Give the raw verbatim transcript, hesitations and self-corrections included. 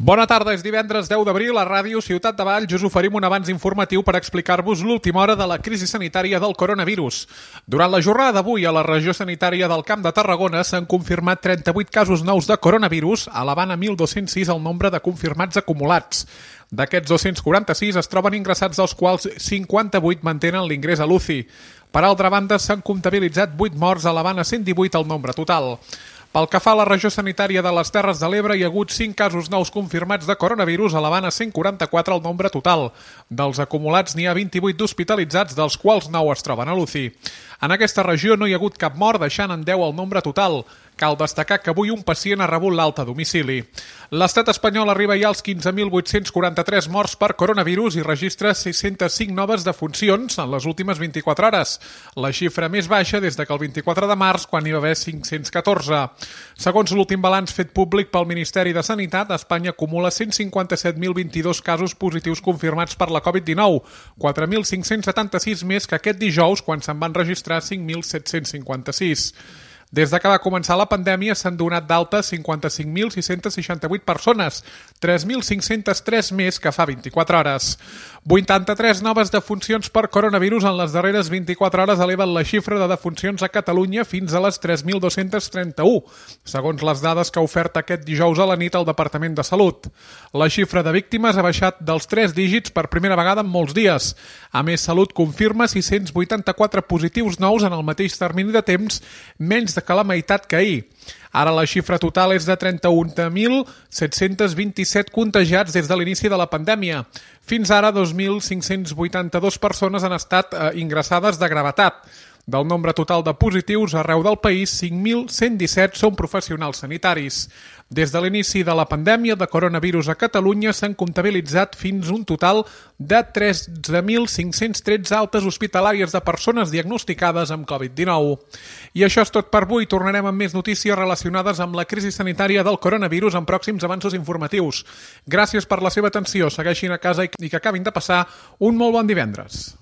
Bona tarda, és divendres deu d'abril, a Ràdio Ciutat de Valls us oferim un avanç informatiu per explicar-vos l'última hora de la crisi sanitària del coronavirus. Durant la jornada d'avui, a la regió sanitària del Camp de Tarragona s'han confirmat trenta-vuit casos nous de coronavirus, elevant a mil dos-cents sis el nombre de confirmats acumulats. D'aquests dos-cents quaranta-sis es troben ingressats, dels quals cinquanta-vuit mantenen l'ingrés a l'U C I. Per altra banda, s'han comptabilitzat vuit morts, elevant a cent divuit el nombre total. Pel que fa a la regió sanitària de les Terres de l'Ebre, hi ha hagut cinc casos nous confirmats de coronavirus, elevant a cent quaranta-quatre el nombre total. Dels acumulats n'hi ha vint-i-vuit d'hospitalitzats, dels quals nou es troben a l'U C I. En aquesta regió no hi ha hagut cap mort, deixant en deu el nombre total. Cal destacar que avui un pacient ha rebut l'alta a domicili. L'estat espanyol arriba ja als quinze mil vuit-cents quaranta-tres morts per coronavirus i registra sis-centes cinc noves defuncions en les últimes vint-i-quatre hores, la xifra més baixa des de que el vint-i-quatre de març, quan hi va haver cinc-cents catorze. Segons l'últim balanç fet públic pel Ministeri de Sanitat, Espanya acumula cent cinquanta-set mil vint-i-dos casos positius confirmats per la covid dinou, quatre mil cinc-cents setanta-sis més que aquest dijous, quan se'n van registrar cinc mil set-cents cinquanta-sis. Des de que va començar la pandèmia s'han donat d'alta cinquanta-cinc mil sis-cents seixanta-vuit persones, tres mil cinc-cents tres més que fa vint-i-quatre hores. vuitanta-tres noves defuncions per coronavirus en les darreres vint-i-quatre hores eleven la xifra de defuncions a Catalunya fins a les tres mil dos-cents trenta-u, segons les dades que ha ofert aquest dijous a la nit el Departament de Salut. La xifra de víctimes ha baixat dels tres dígits per primera vegada en molts dies. A més, Salut confirma sis-cents vuitanta-quatre positius nous en el mateix termini de temps, menys de que la meitat que ahir. Ara la xifra total és de trenta-un mil set-cents vint-i-set contagiats des de l'inici de la pandèmia. Fins ara, dos mil cinc-cents vuitanta-dos persones han estat eh, ingressades de gravetat. Del nombre total de positius arreu del país, cinc mil cent disset són professionals sanitaris. Des de l'inici de la pandèmia de coronavirus a Catalunya s'han comptabilitzat fins un total de tretze mil cinc-cents tretze altes hospitalàries de persones diagnosticades amb covid dinou. I això és tot per avui. Tornarem amb més notícies relacionades amb la crisi sanitària del coronavirus en pròxims avanços informatius. Gràcies per la seva atenció. Segueixin a casa i que acabin de passar un molt bon divendres.